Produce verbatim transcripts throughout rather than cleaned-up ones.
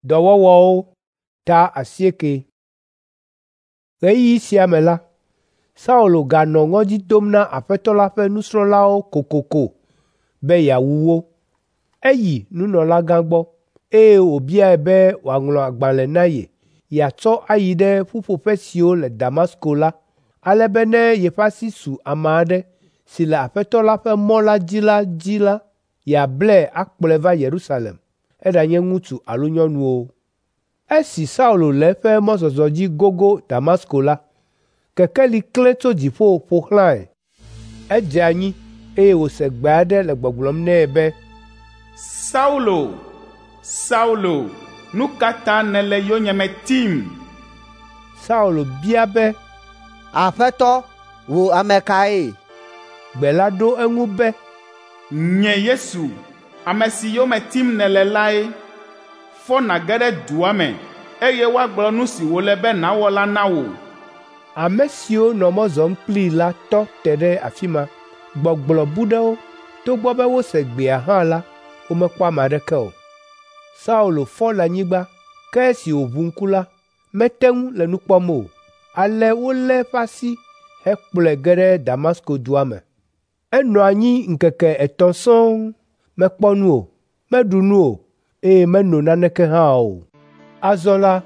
Dɔwɔwɔwo ta asieke. Ɣeyiɣi sia me la, Saulo ganɔ ŋɔdzi dom na Aƒetɔ la ƒe nusrɔ̃lawo kokoko be yeawu wo. Eyi nunɔlagã gbɔ, eye wòbiae be wòaŋlɔ agbalẽ na ye yeatsɔ ayi ɖe ƒuƒoƒe siwo le Damasko la, ale be ne yeƒe asi su ame aɖe si le Aƒetɔ la ƒe mɔ la dzi la dzi la, yeablae akplɔe va Yerusalem, eɖanye ŋutsu alo nyɔnu o. Esi Saulo le eƒe mɔzɔzɔ dzi gogo Damasko la, kekeli klẽ tso dziƒo ƒo xlãe. Edze anyi eye wòse gbe aɖe le gbɔgblɔm nɛ be, Saulo, Saulo, nu ka ta nèle yonyeme tim? Saulo bia be, Aƒetɔ, wò ame kae? Gbe la ɖo eŋu be, Nye Yesu, ame si yome tim nèle lae. Fɔ nàge ɖe dua me, eye woagblɔ nu si wòle be nàwɔ la na wò. Ame siwo nɔ mɔ zɔm kplii la tɔ te ɖe afi ma. Gbɔgblɔ bu ɖe wo. Togbɔ be wose gbea hã la, womekpɔ ame aɖeke o. Saulo fɔ le anyigba, ke esi wòʋu ŋku la, mete ŋu le nu kpɔm o. Ale wolé eƒe asi hekplɔe ge ɖe Damasko dua me. Enɔ anyi ŋkeke etɔ̃ sɔŋ, mekpɔ nu o, meɖu nu o, eye meno naneke hã o. Azɔ la,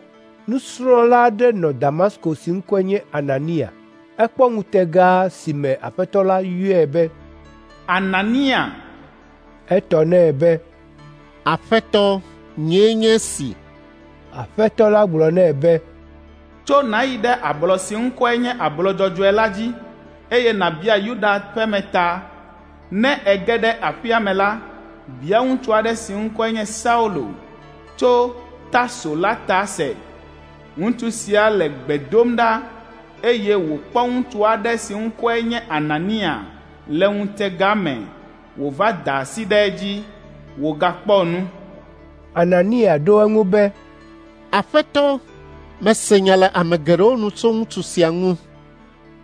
nusrɔ̃la aɖe nɔ Damasko si ŋkɔe nye Anania. Ekpɔ ŋutega si me Aƒetɔ la yɔe be, Anania! Etɔ nɛ be, Aƒetɔ, nyee nye esi. Aƒetɔ la gblɔ nɛ be, Tso nàyi ɖe ablɔ si ŋkɔe nye Ablɔ Dzɔdzɔe la dzi, eye nàbia Yuda ƒeme ta. Ne ège ɖe aƒea me la, bia ŋutsu aɖe si ŋkɔe nye Saulo tso Tarso la ta se. Ŋutsu sia le gbe dom ɖa, eye wòkpɔ ŋutsu aɖe si ŋkɔe nye Anania le ŋutega me wòva da asi ɖe edzi, wògakpɔ nu. Anania ɖo eŋu be, Aƒetɔ, mese nya le ame geɖewo nu tso ŋutsu sia ŋu.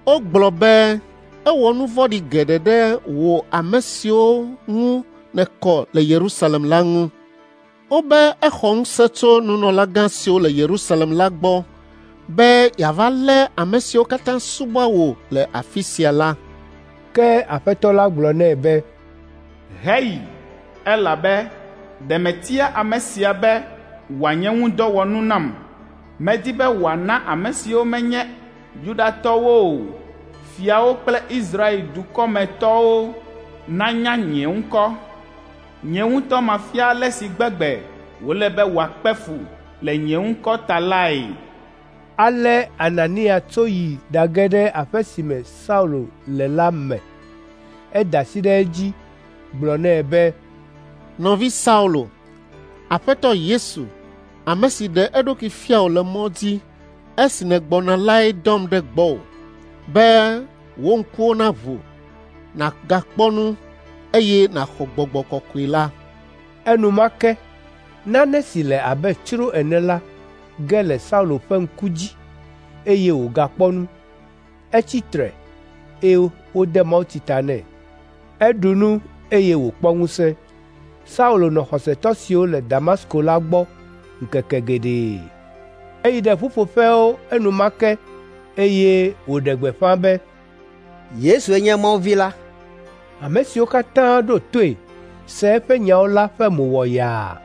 Wogblɔ be ewɔ nu vɔ̃ɖi geɖe ɖe wò ame siwo ŋu nèkɔ le Yerusalem la ŋu. Wobe exɔ ŋusẽ tso nunɔlagã siwo le Yerusalem la gbɔ be yeava lé ame siwo katã subɔa wò le afi sia la. Ke Aƒetɔ la gblɔ nɛ be, Heyi, elabe ɖe metia ame sia be wòanye ŋudɔwɔnu nam. Medi be wòana ame siwo menye Yudatɔwo o, fiawo kple Israel dukɔmetɔwo nanya nye ŋkɔ. Nye ŋutɔ mafia ale si gbegbe wòle be wòakpe fu le nye ŋkɔ ta lae. Ale Anania tso yi ɖage ɖe aƒe si me Saulo le la me. Eda asi ɖe edzi gblɔ nɛ be, Nɔvi Saulo, Aƒetɔ Yesu, ame si ɖe eɖokui fia wò le mɔ dzi esi nègbɔna lae dɔm ɖe gbɔwò, be wò ŋkuwo naʋu, nàgakpɔ nu, eye nàxɔ Gbɔgbɔ Kɔkɔe la. Enumake nane si le abe tsro ene la ge le Saulo ƒe ŋku dzi, eye wògakpɔ nu. Etsi tre, eye wode mawutsi ta nɛ. Eɖu nu, eye wòkpɔ ŋusẽ. Saulo nɔ xɔsetɔ siwo le Damasko la gbɔ ŋkeke geɖe. Eyi ɖe ƒuƒoƒewo enumake, eye wòɖe gbeƒã be, Yesue nye Mawu Vi la. Ame siwo katã ɖo toe se eƒe nyawo la ƒe mo wɔ yaa,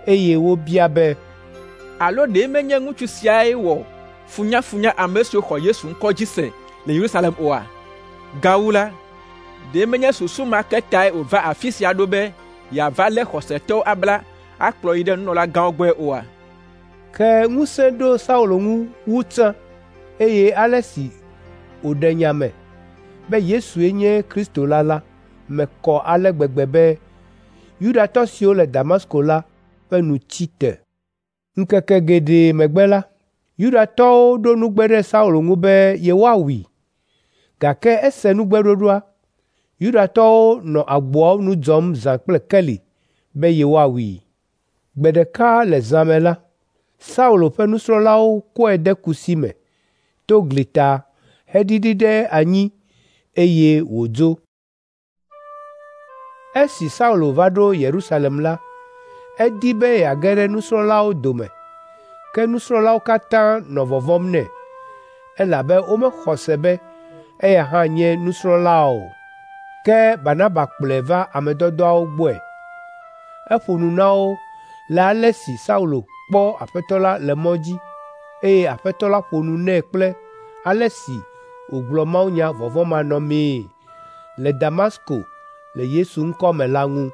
eye wobia be, Alo ɖe menye ŋutsu siae wɔ funyafunya ame siwo xɔ Yesu ŋkɔ dzi se le Yerusalem oa? Gawu la, ɖe menye susu ma ke tae wòva afi sia ɖo be yeava lé xɔsetɔwo abla akplɔ yi ɖe nunɔlagãwo gbɔe oa? Ke ŋusẽ ɖo Saulo ŋu wu tsã, eye ale si wòɖe nya me be Yesue nye Kristo la la me kɔ ale gbegbe be Yudatɔ siwo le Damasko la ƒe nu tsi te. Ŋkeke geɖe megbe la, Yudatɔwo ɖo nugbe ɖe Saulo ŋu be yewoawui, gake ese nugbeɖoɖoa. Yudatɔwo nɔ agboawo nu dzɔm zã kple keli be yewoawui. Gbe ɖeka le zã me la, Saulo ƒe nusrɔ̃lawo kɔe de kusi me to gli ta heɖiɖi ɖe anyi eye wòdzo. Esi Saulo va ɖo Yerusalem la, edi be yeage ɖe nusrɔ̃lawo dome, Ke nusrɔ̃lawo katã nɔ vɔvɔ̃m nɛ, elabe womexɔ se be eya hã nye nusrɔ̃la o. Ke Barnaba kplɔe va ame dɔdɔawo gbɔe. Eƒo nu na wo le ale si Saulo kpɔ Aƒetɔ la le mɔ dzi, eye Aƒetɔ la ƒo nu nɛ kple ale si wògblɔ mawunya vɔvɔ̃manɔmee le Damasko le Yesu ŋkɔ me la ŋu.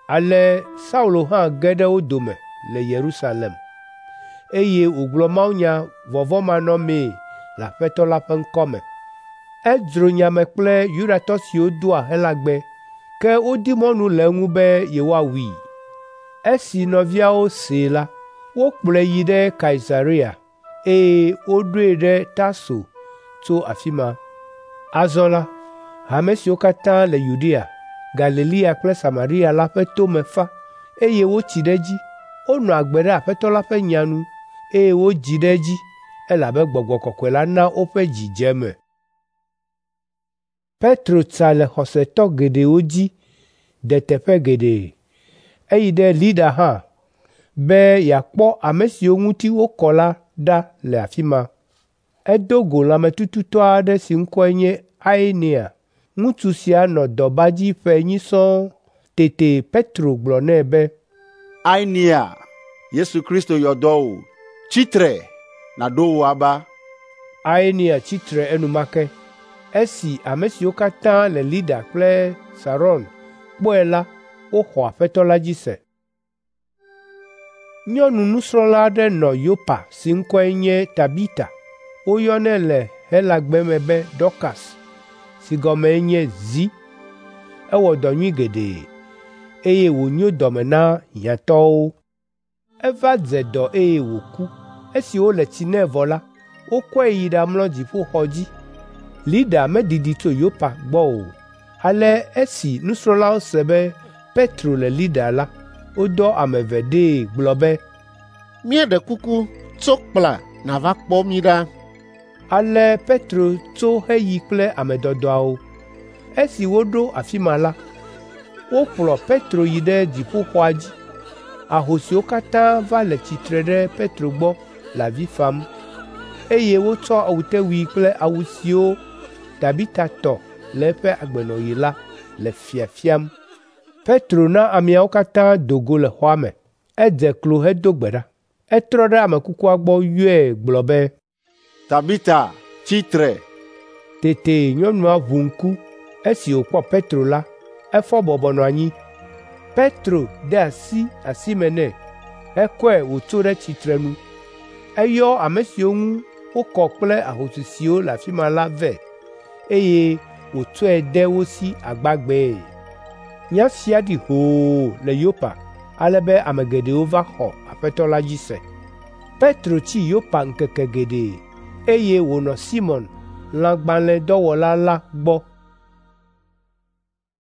Ale Saulo hã ge ɖe wo dome le Yerusalem, eye wògblɔ mawunya vɔvɔ̃manɔmee le Aƒetɔ la ƒe ŋkɔ me. Edzro nya me kple Yudatɔ siwo doa Helagbe, ke wodi mɔnu le eŋu be yewoawui. Esi nɔviawo see la, wokplɔe yi ɖe Kaisarea, eye woɖoe ɖe Tarso tso afi ma. Azɔ la, hame siwo katã le Yudea, Galilea kple Samaria la ƒe tome fa, eye wotsi ɖe edzi. Wonɔ agbe ɖe Aƒetɔ la ƒe nya nu, eye wodzi ɖe edzi, elabe Gbɔgbɔ Kɔkɔe la na woƒe dzi dze eme. Petro tsa le xɔsetɔ geɖewo dzi de teƒe geɖe. Eyi ɖe Lida hã be yeakpɔ ame siwo ŋuti wokɔ la ɖa le afi ma. Edo go lãmetututɔ aɖe si ŋkɔe nye Aenea. Ŋutsu sia nɔ dɔba dzi ƒe enyi sɔŋ. Tete Petro gblɔ nɛ be, Aenea, Yesu Kristo yɔ dɔ wò. Tsi tre, nàɖo wò aba. Aenea tsi tre enumake. Esi ame siwo katã le Lida kple Saron kpɔe la, woxɔ Aƒetɔ la dzi se. Nyɔnu nusrɔ̃la aɖe nɔ Yopa si ŋkɔe nye Tabita. Woyɔnɛ le Helagbe me be Dɔkas, si gɔmee nye zi. Ewɔ dɔ nyui geɖe, eye wònyo dɔme na hiãtɔwo. Eva dze dɔ eye wòku. Esi wole tsi nɛ vɔ la, wokɔe yi ɖamlɔ dziƒoxɔ dzi. Lida medidi tso Yopa gbɔ o. Ale esi nusrɔ̃lawo se be Petro le Lida la, wodɔ ame eve ɖee gblɔ be, Míeɖe kuku, tso kpla nàva kpɔ mí ɖa. Ale Petro tso heyi kple ame dɔdɔawo. Esi woɖo afi ma la, wokplɔ Petro yi ɖe dziƒoxɔa dzi. Ahosiwo katã va le tsitre ɖe Petro gbɔ le avi fam, eye wotsɔ awutewui kple awu siwo Tabita tɔ le eƒe agbenɔɣi la le fiafiam. Petro na ameawo katã do go le xɔa me. Edze klo hedo gbe ɖa. Etrɔ ɖe ame kukua gbɔ yɔe gblɔ be, Tabita, tsi tre. Tete nyɔnua ʋu ŋku. Esi wòkpɔ Petro la, efɔ bɔbɔ nɔ anyi. Petro de asi asime nɛ hekɔe wòtso ɖe tsitrenu. Eyɔ ame siwo ŋu wokɔ kple ahosi siwo le afi ma la vɛ, eye wòtsɔe de wo si agbagbee. Nya sia ɖi hoo le Yopa, ale be ame geɖewo va xɔ Aƒetɔ la dzi se. Petro tsi Yopa ŋkeke geɖe, eye wònɔ Simɔn, lãgbalẽdɔwɔla la gbɔ.